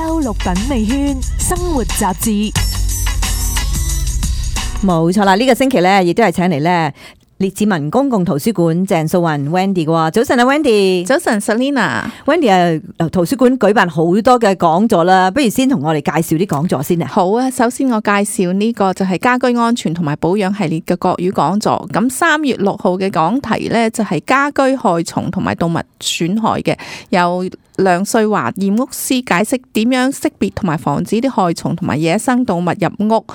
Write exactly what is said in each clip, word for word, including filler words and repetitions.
周六品味圈生活雜誌。冇錯啦，呢、這個星期咧，亦都係請嚟咧列治文公共圖書館鄭素雲 Wendy 嘅喎。早晨啊 Wendy，早晨 Selina。Wendy 啊，圖書館舉辦好多嘅講座啦，不如先同我哋介紹啲講座先啊。好啊，首先我介紹呢個就係家居安全同埋保養系列嘅國語講座。咁三月六號嘅講題呢，就係家居害蟲同埋動物損害嘅，由梁瑞華驗屋師解釋點樣識別同埋防止啲害蟲同埋野生動物入屋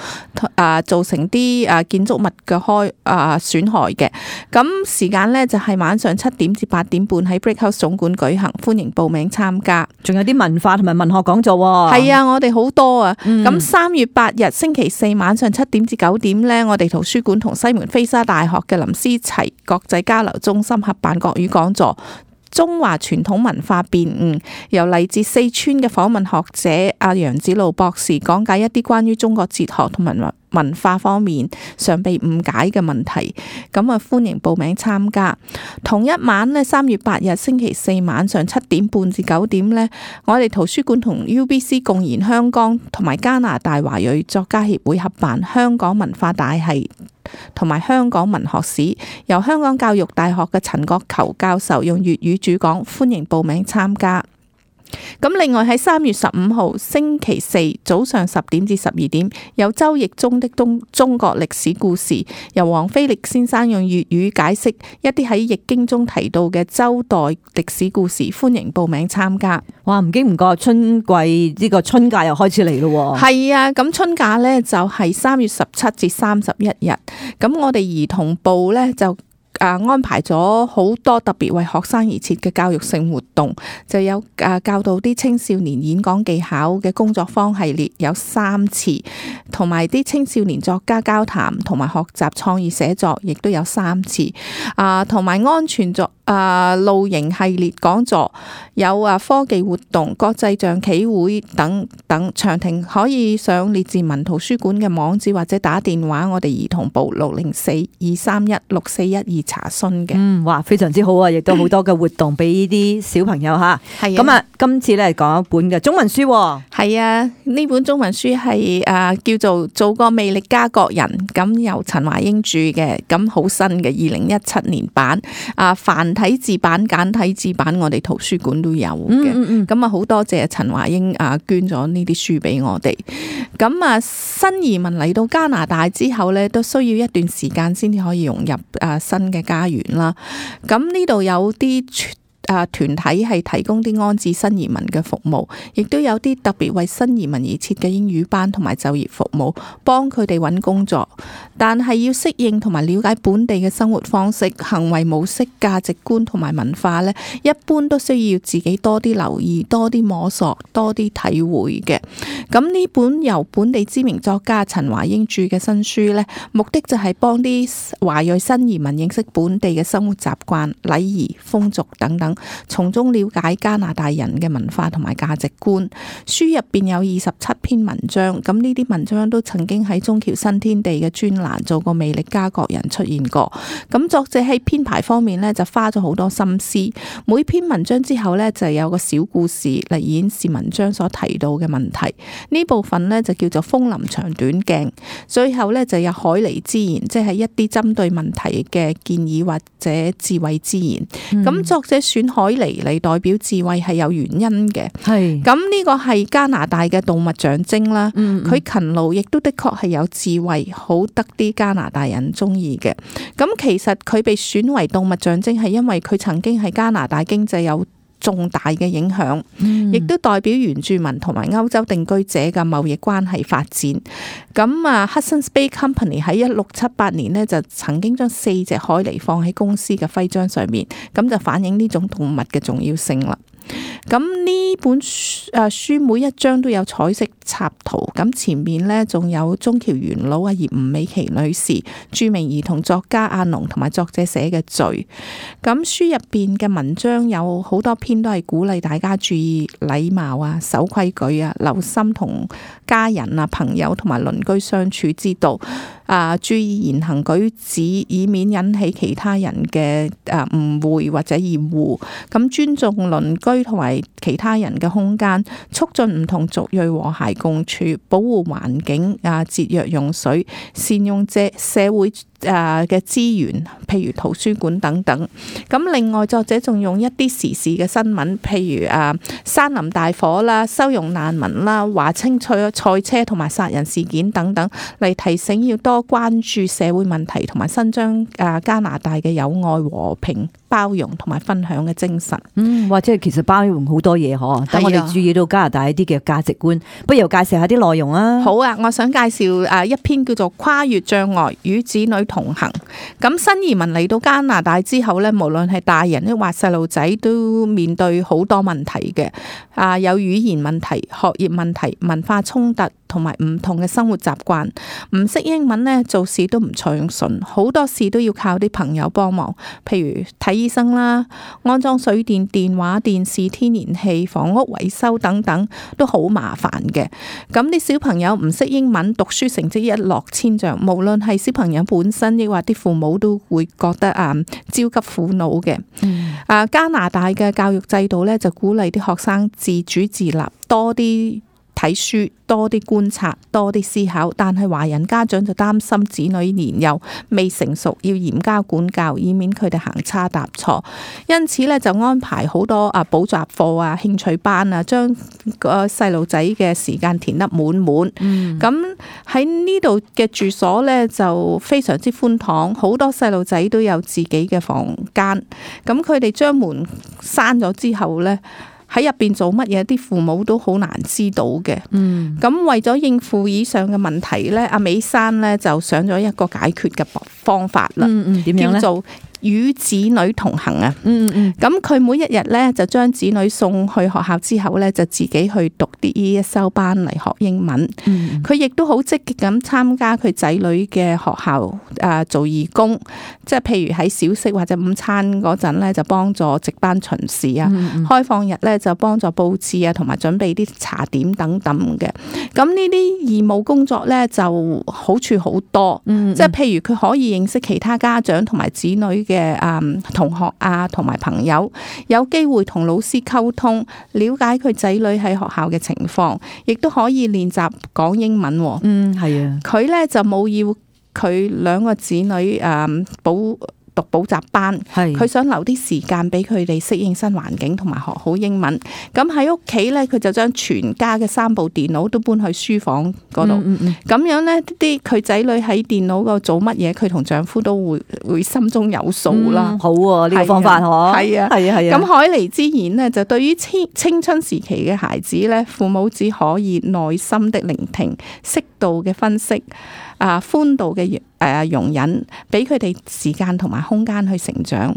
啊，造成啲啊建築物嘅開啊損害嘅。咁時間呢，就係晚上七點至八點半喺 Brickhouse 總館舉行，歡迎報名參加。仲有啲文化同埋文學講座喎。係啊，我哋好多啊。咁三、嗯、月八日星期四晚上七點至九點呢，我哋圖書館同西門菲沙大學嘅林思齊國際交流中心合辦國語講座。中華傳統文化辨誤，由嚟自四川嘅訪問學者阿楊子路博士講解一啲關於中國哲學同埋文化方面常被誤解嘅問題，咁啊歡迎報名參加。同一晚呢，三月八日星期四晚上七點半至九點呢，我哋圖書館同 U B C 共研香港同埋加拿大華裔作家協會合辦香港文化大系同埋香港文學史，由香港教育大學嘅陳國球教授用粵語主講，歡迎報名參加。咁另外喺三月十五號星期四早上十點至十二點，有周奕中的東中國歷史故事，由黃飛力先生用粵語解釋一啲喺易經中提到嘅周代歷史故事，歡迎報名參加。哇，唔經唔覺春季呢個春假又開始嚟咯。係啊，咁春假呢就係三月十七至三十一日，咁我哋兒童部呢就啊！安排咗好多特別為學生而設嘅教育性活動，就有啊教導啲青少年演講技巧嘅工作坊系列有三次，同埋啲青少年作家交談同埋學習創意寫作，亦都有三次啊，同埋安全作啊露營系列講座，有啊科技活動、國際象棋會等等。詳情可以上列治文圖書館嘅網址或者打電話我哋兒童部六零四二三一六四一二查詢嘅。嗯，哇，非常之好啊！亦都好多嘅活動俾呢啲小朋友吓。係咁啊，今次咧講一本嘅中文書。係啊，呢本中文書係誒叫做《做個魅力家國人》，咁由陳華英著嘅，咁好新嘅二零一七年版啊，繁體字版、簡體字版，我哋圖書館都有嘅。咁啊，好多謝陳華英啊捐咗呢啲書俾我哋。咁啊，新移民嚟到加拿大之後咧，都需要一段時間先至可以融入啊新嘅家園啦。咁呢度有啲啊團體係提供啲安置新移民嘅服務，亦都有啲特別為新移民而設嘅英語班同埋就業服務，幫佢哋揾工作。但係要適應同埋了解本地嘅生活方式、行為模式、價值觀同埋文化呢，一般都需要自己多啲留意、多啲摸索、多啲體會嘅。咁呢本由本地知名作家陳華英著嘅新書呢，目的就係幫啲華裔新移民認識本地嘅生活習慣、禮儀、風俗等等，從中了解加拿大人嘅文化同埋價值觀。書入邊有二十七篇文章，咁呢啲文章都曾經喺中僑新天地嘅專欄做過魅力家國人出現過。咁作者喺編排方面呢，就花咗好多心思，每篇文章之後呢，就有個小故事嚟演示文章所提到嘅問題。呢部分呢，就叫做風林長短鏡，最後呢，就有海狸之言，即係一啲針對問題嘅建議或者智慧之言。咁、嗯、作者選海狸嚟代表智慧係有原因嘅。係咁呢個係加拿大嘅動物象徵啦。佢、嗯嗯、勤勞亦都的確係有智慧，好得啲加拿大人中意嘅。咁其實佢被選為動物象徵係因為佢曾經係加拿大經濟有重大嘅影響，亦都代表原住民同埋歐洲定居者嘅貿易關係發展。咁啊 Hudson's Bay Company 喺一六七八年呢，就曾經將四隻海狸放喺公司嘅徽章上面，咁就反映呢種動物嘅重要性啦。咁呢本書誒書每一章都有彩色插圖，咁前面呢，仲有中僑元老啊葉吳美琪女士、著名兒童作家阿農同埋作者寫嘅序。咁書入邊嘅文章有好多篇都係鼓勵大家注意禮貌啊、守規矩啊、留心同家人啊、朋友同埋鄰居相處之道啊，注意言行舉止，以免引起其他人嘅誒誤會或者厭惡。咁尊重鄰居居同埋其他人嘅空間，促進唔同族裔和諧共處，保護環境啊，節約用水，善用社社會誒嘅資源，譬如圖書館等等。咁另外作者仲用一啲時事嘅新聞，譬如誒山林大火啦、收容難民啦、華清賽賽車同埋殺人事件等等，嚟提醒要多關注社會問題，同埋伸張誒加拿大嘅友愛、和平、包容同埋分享嘅精神。嗯，或者其實包容好多嘢嗬，等我哋注意到加拿大一啲嘅價值觀。不如又介紹下啲內容啊。好啊，我想介紹誒一篇叫做《跨越障礙與子女同行》。咁新移民嚟到加拿大之後咧，無論係大人抑或細路仔，都面對好多問題嘅。啊，有語言問題、學業問題、文化衝突，同埋唔同嘅生活習慣。唔識英文咧，做事都唔暢順，好多事都要靠啲朋友幫忙，譬如睇醫生啦、安裝水電、電話、電視、天然氣、房屋維修等等，都好麻煩嘅。咁啲小朋友唔識英文，讀書成績一落千丈，無論係小朋友本身，抑或啲父母都會覺得啊焦急苦惱嘅。啊、嗯，加拿大嘅教育制度咧就鼓勵啲學生自主自立，多啲睇書，多啲觀察，多啲思考。但係華人家長就擔心子女年幼未成熟，要嚴加管教，以免佢哋行差踏錯。因此咧就安排好多啊補習課啊、興趣班啊，將個細路仔嘅時間填得滿滿。咁喺呢度嘅住所咧就非常之寬敞，好多細路仔都有自己嘅房間。咁佢哋將門閂咗之後咧，喺入邊做乜嘢，啲父母都好難知道嘅。嗯，咁為咗應付以上嘅問題咧，阿美珊咧就想咗一個解決嘅方法啦。嗯嗯，點樣咧？叫做與子女同行啊。嗯嗯，咁佢每一日咧就將子女送去學校之後咧，就自己去讀啲 E S L 班嚟學英文。嗯，佢亦都好積極咁參加佢仔女嘅學校啊，做義工，即係譬如喺小息或者午餐嗰陣咧，就幫助值班巡視啊。嗯嗯，開放日咧就幫助佈置啊，同埋準備啲茶點等等嘅。咁呢啲義務工作咧就好處好多。嗯嗯，即係譬如佢可以認識其他家長同埋子女嘅誒同學啊，同埋朋友，有機會同老師溝通，了解佢仔女喺學校嘅情況，亦都可以練習講英文。嗯，係啊。佢咧就冇要佢兩個子女誒補讀補習班，佢想留啲時間俾佢哋適應新環境同埋學好英文。咁喺屋企咧，佢就將全家嘅三部電腦都搬去書房嗰度。咁、嗯嗯、樣咧，啲佢仔女喺電腦嗰度做乜嘢，佢同丈夫都會會心中有數啦、嗯。好喎，呢、這個方法嗬。係啊，係啊，係啊。咁海尼之言呢，就對於青青春時期嘅孩子咧，父母只可以耐心的聆聽，適度嘅分析。啊，寬度嘅誒容忍，俾佢哋時間同埋空間去成長，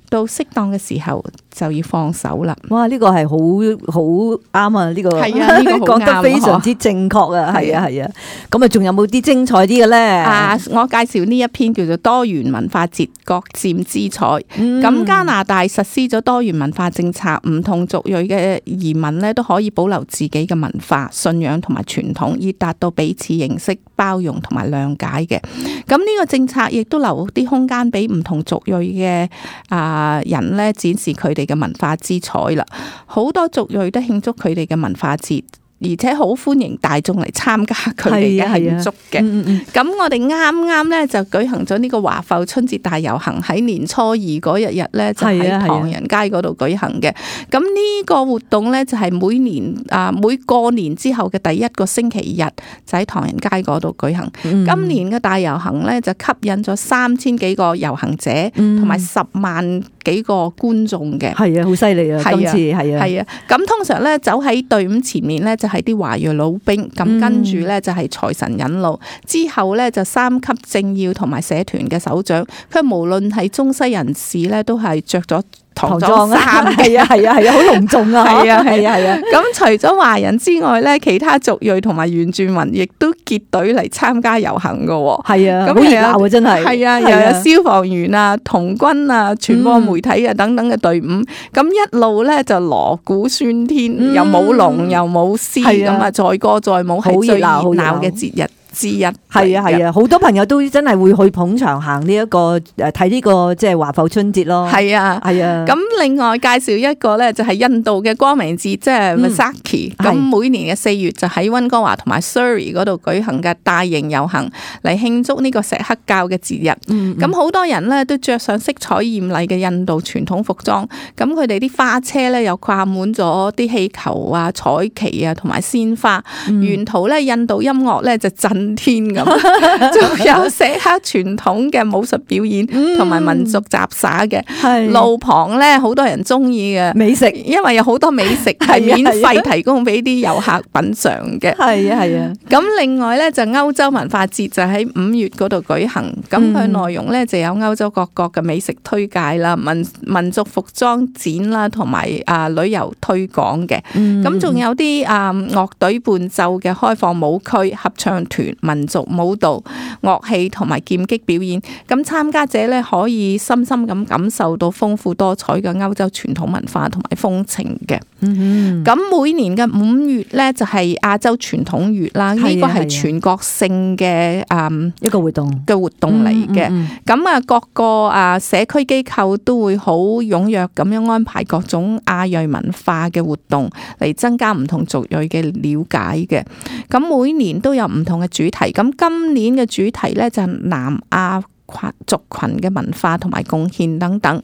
到適當嘅時候就要放手啦。哇！呢、這個係好好啱啊！呢、這個係啊，呢、這個講得非常之正確啊！係啊，係啊。咁啊，仲有冇啲精彩啲嘅咧？啊，我介紹呢一篇叫做多元文化節，各佔之彩。咁、嗯、加拿大實施咗多元文化政策，唔同族裔嘅移民咧都可以保留自己嘅文化、信仰同埋傳統，以達到彼此認識、包容同埋諒解嘅。咁呢個政策亦都留啲空間俾唔同族裔嘅啊人咧展示佢哋嘅文化之彩啦。好多族裔都慶祝佢哋嘅文化節，而且好歡迎大眾嚟參加佢哋嘅慶祝嘅。咁、嗯嗯、我哋啱啱咧就舉行咗呢個華埠春節大遊行，喺年初二嗰日日咧就喺唐人街嗰度舉行嘅。咁呢個活動咧就係每年啊每過年之後嘅第一個星期日就喺唐人街嗰度舉行。嗯、今年嘅大遊行咧就吸引咗三千幾個遊行者，同埋十萬幾個觀眾嘅。係啊，好犀利啊！今次係啊，係啊。咁通常咧走喺隊伍前面咧就係啲華裔老兵，咁跟住咧就係財神引路，之後咧就三級政要同埋社團嘅首長，佢無論係中西人士咧都係着咗唐裝衫，係啊係啊係啊，好隆重啊！係啊係啊係啊！咁除咗華人之外咧，其他族裔同埋原住民亦都結隊嚟參加遊行噶。係啊，好熱鬧啊！真係係啊，又有消防員啊、童軍啊、傳播媒體啊等等嘅隊伍，咁一路咧就鑼鼓喧天，又舞龍又舞獅，咁啊載歌載舞，係最熱鬧嘅節日之一。係啊係啊，好多朋友都真係會去捧場行呢一個誒睇呢個即係華埠春節咯。係啊係啊。咁另外介紹一個咧，就係印度嘅光明節，即係 Vaisakhi。咁每年嘅四月就喺溫哥華同埋 Surrey 嗰度舉行嘅大型遊行，嚟慶祝呢個錫克教嘅節日。咁好、嗯、多人咧都着上色彩豔麗嘅印度傳統服裝，咁佢哋啲花車咧又掛滿咗啲氣球啊、彩旗啊同埋鮮花，嗯、沿途咧印度音樂咧就震天咁，仲有錫克傳統嘅武術表演同埋民族雜耍嘅。嗯、路旁咧好多人中意嘅美食，因為有好多美食係免費提供俾啲遊客品嘗嘅。係啊係啊。咁另外咧就歐洲文化節就喺五月嗰度舉行，咁佢內容咧就有歐洲各國嘅美食推介啦、民民族服裝展啦，同埋啊旅遊推廣嘅。咁仲、嗯、有啲啊樂隊伴奏嘅開放舞區、合唱團、民族舞蹈、樂器同埋劍擊表演。咁參加者咧可以深深咁感受到豐富多彩嘅歐洲傳統文化同埋風情嘅。咁、嗯、每年嘅五月咧就係亞洲傳統月啦，呢個係全國性嘅啊一個活動嘅活動嚟嘅。咁啊、嗯嗯、各個啊社區機構都會好踴躍咁樣安排各種亞裔文化嘅活動，嚟增加唔同族裔嘅了解嘅。咁每年都有唔同嘅主題，咁今年嘅主題咧就係南亞族群嘅文化同埋貢獻等等。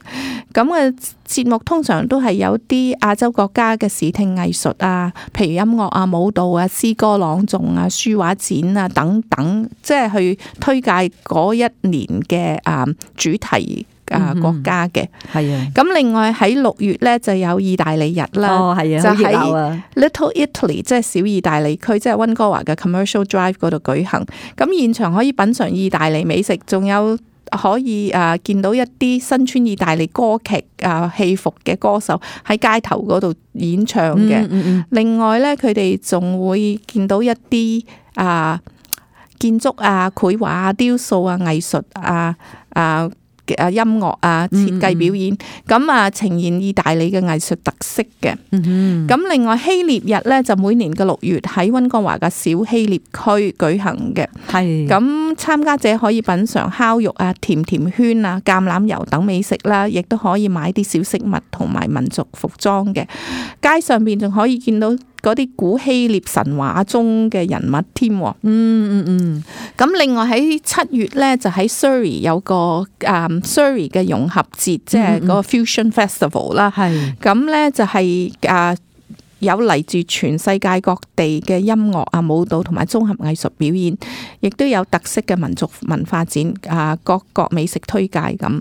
咁嘅節目通常都係有啲亞洲國家嘅視聽藝術啊，譬如音樂啊、舞蹈啊、詩歌朗誦啊、書畫展啊等等，即係去推介嗰一年嘅啊主題啊國家嘅。係啊。咁另外喺六月咧就有意大利日啦。哦，係啊，就喺 Little Italy， 即係小意大利區，即係溫哥華嘅 Commercial Drive 嗰度舉行。咁現場可以品嘗意大利美食，仲有可以啊見到一啲身穿意大利歌劇啊戲服嘅歌手喺街頭嗰度演唱嘅。嗯嗯嗯。另外咧，佢哋仲會見到一啲啊建築啊、繪畫啊、雕塑啊、藝術啊啊。啊音樂啊設計表演，咁啊呈現意大利嘅藝術特色嘅。咁、嗯、哼另外希臘日咧就每年嘅六月喺溫哥華嘅小希臘區舉行嘅。係咁參加者可以品嘗烤肉啊、甜甜圈啊、橄欖油等美食啦，亦都可以買啲小飾物同埋民族服裝嘅。街上邊仲可以見到嗰啲古希臘神話中嘅人物添。嗯嗯嗯。咁另外喺七月咧就喺 Surrey 有個啊 Surrey 嘅融合節，即係嗰個 Fusion Festival 啦。係。咁咧就係啊有嚟自全世界各地嘅音樂啊、舞蹈同埋綜合藝術表演，亦都有特色嘅民族文化展啊，各國美食推介咁。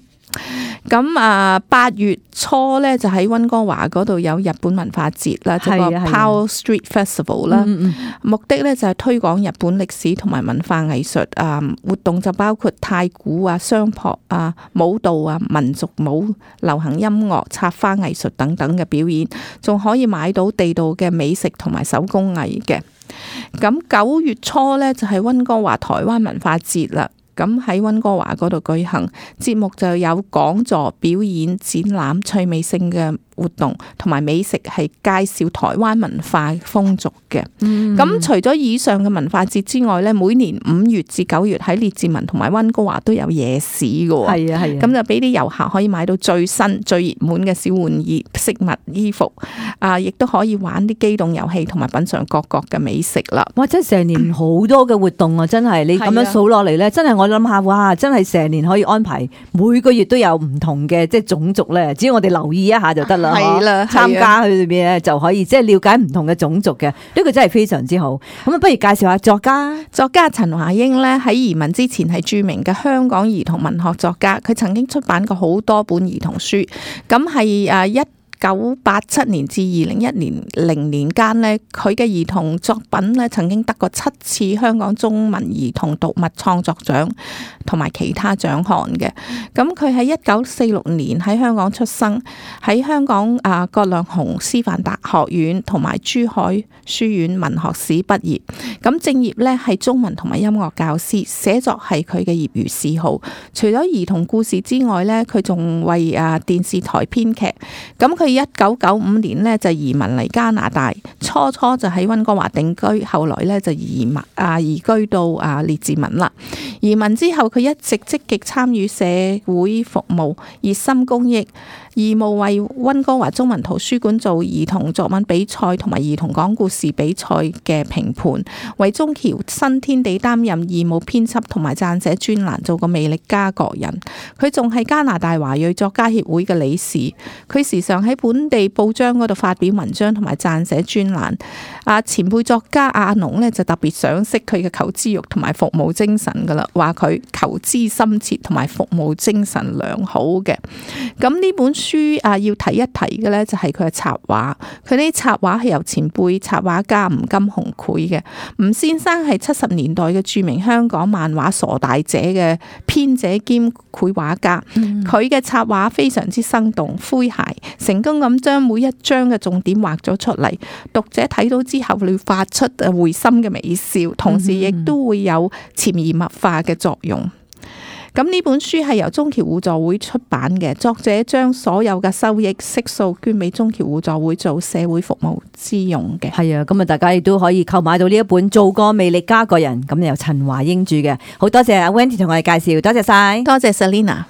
咁啊，八月初咧就喺溫哥華嗰度有日本文化節啦，即係個 Powell Street Festival 啦。目的咧就係推廣日本歷史同埋文化藝術啊，活動就包括太鼓啊、相撲啊、舞蹈啊、民族舞、流行音樂、插花藝術等等嘅表演，仲可以買到地道嘅美食同埋手工藝嘅。咁九月初咧就係溫哥華台灣文化節啦。咁喺溫哥華嗰度舉行，節目就有講座、表演、展覽、趣味性嘅活動同埋美食，係介紹台灣文化風俗嘅。咁、嗯、除咗以上嘅文化節之外咧，每年五月至九月喺列治文同埋溫哥華都有夜市嘅。係啊係啊，咁就俾啲遊客可以買到最新最熱門嘅小玩意、飾物、衣服啊，亦都可以玩啲機動遊戲同埋品嘗各國嘅美食啦。哇！真係成年好多嘅活動啊！真係你咁樣數落嚟咧，真係我諗下，哇！真係成年可以安排每個月都有唔同嘅即係種族咧，只要我哋留意一下就得啦。係啦，參加去裏邊咧就可以即係了解唔同嘅種族嘅，呢個真係非常之好。咁啊，不如介紹下作家。作家陳華英咧喺移民之前係著名嘅香港兒童文學作家，佢曾經出版過好多本兒童書，咁係誒一九八七年至二零一年零年間咧，佢嘅兒童作品咧曾經得過七次香港中文兒童讀物創作獎同埋其他獎項嘅。咁佢喺一九四六年喺香港出生，喺香港啊葛量洪師範大學院同埋珠海書院文學史畢業。咁正業咧係中文同埋音樂教師，寫作係佢嘅業餘嗜好。除咗兒童故事之外咧，佢仲為啊電視台編劇。咁佢一九九五年呢就移民嚟加拿大，初初就喺溫哥華定居，後來呢就移民啊移居到啊列治文啦。移民之後，佢一直積極參與社會服務，熱心公益，義務為溫哥華中文圖書館做兒童作文比賽同埋兒童講故事比賽嘅評判，為中僑新天地擔任義務編輯同埋撰寫專欄，做個魅力家國人。佢仲係加拿大華裔作家協會嘅理事，佢時常喺本地報章嗰度發表文章同埋撰寫專欄。啊，前輩作家阿龍呢，就特別賞識佢嘅求知欲同埋服務精神噶啦，話佢求知深切同埋服務精神良好嘅。咁呢本書啊，要提一提嘅呢，就係佢嘅插畫，佢啲插畫係由前輩插畫家吳金雄繪嘅。吳先生係七十年代嘅著名香港漫畫傻大姐嘅編者兼繪畫家，佢嘅插畫非常之生動詼諧，成功咁將每一章嘅重點畫咗出嚟，讀者睇到之後會發出會心嘅微笑，同時亦都會有潛移默化嘅作用。咁呢本書係由中僑互助會出版嘅，作者將所有嘅收益悉數捐俾中僑互助會做社會服務之用嘅。係啊，咁啊，大家亦都可以購買到呢一本《做個魅力家國人》，咁由陳華英著嘅。好多謝阿 Wendy 同我哋介紹，多謝晒，多謝 Selina。